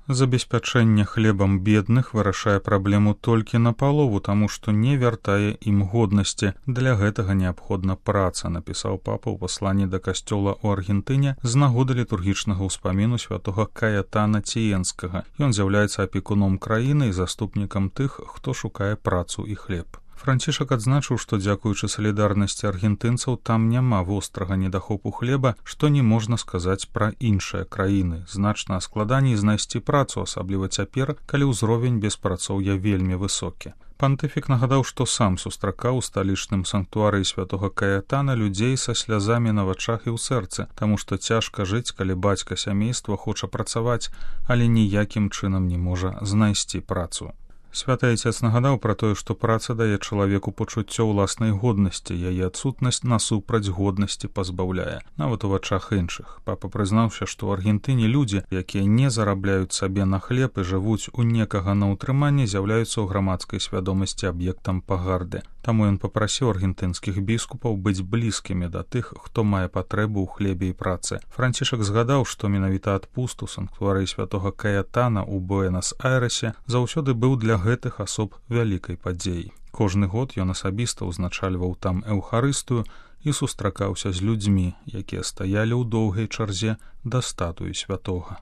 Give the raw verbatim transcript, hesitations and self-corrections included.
Забеспячэнне хлебам бедных вырашае праблему толькі напалову, таму што не вяртае ім годнасці. Для гэтага неабходна праца, напісаў папа ў пасланні да касцёла ў Аргентыне з нагоды літургічнага ўспаміну святога Каятана Ціенскага. Ён з'яўляецца апекуном краіны і заступнікам тых, хто шукае працу і хлеб. Францішак адзначыў, што дзякуючы салідарнасці аргентынцаў там няма вострага недахопу хлеба, што не можна сказаць пра іншыя краіны. Значна складаней знайсці працу, асабліва цяпер, калі ўзровень беспрацоўя вельмі высокі. Пантыфік нагадаў, што сам сустракаў у сталічным санктуарыі святога Каятана людзей са слязамі на вачах і ў сэрцы, таму што цяжка жыць, калі бацька сямейства хоча працаваць, але ніякім чынам не можа знайсці працу. Святы Айцец нагадаў пра тое, што праца дае чалавеку пачуццё ўласнай годнасці, яе адсутнасць насупраць годнасці пазбаўляе, нават у вачах іншых. Папа прызнаўся, што ў Аргентыне людзі, якія не зарабляюць сабе на хлеб і жывуць у некага на ўтрыманні, з'яўляюцца ў грамадскай свядомасці аб'ектам пагарды. Таму ён папрасіў аргентынскіх біскупаў быць блізкімі да тых, хто мае патрэбу ў хлебе і працы. Францішак згадаў, што менавіта адпуст у санктуарыі святога Каятана ў Буэнас-Айрэсе заўсёды быў для гэтых асоб вялікай падзеяй. Кожны год ён асабіста ўзначальваў там эўхарыстыю і сустракаўся з людзьмі, якія стаялі ў доўгай чарзе да статуі святога.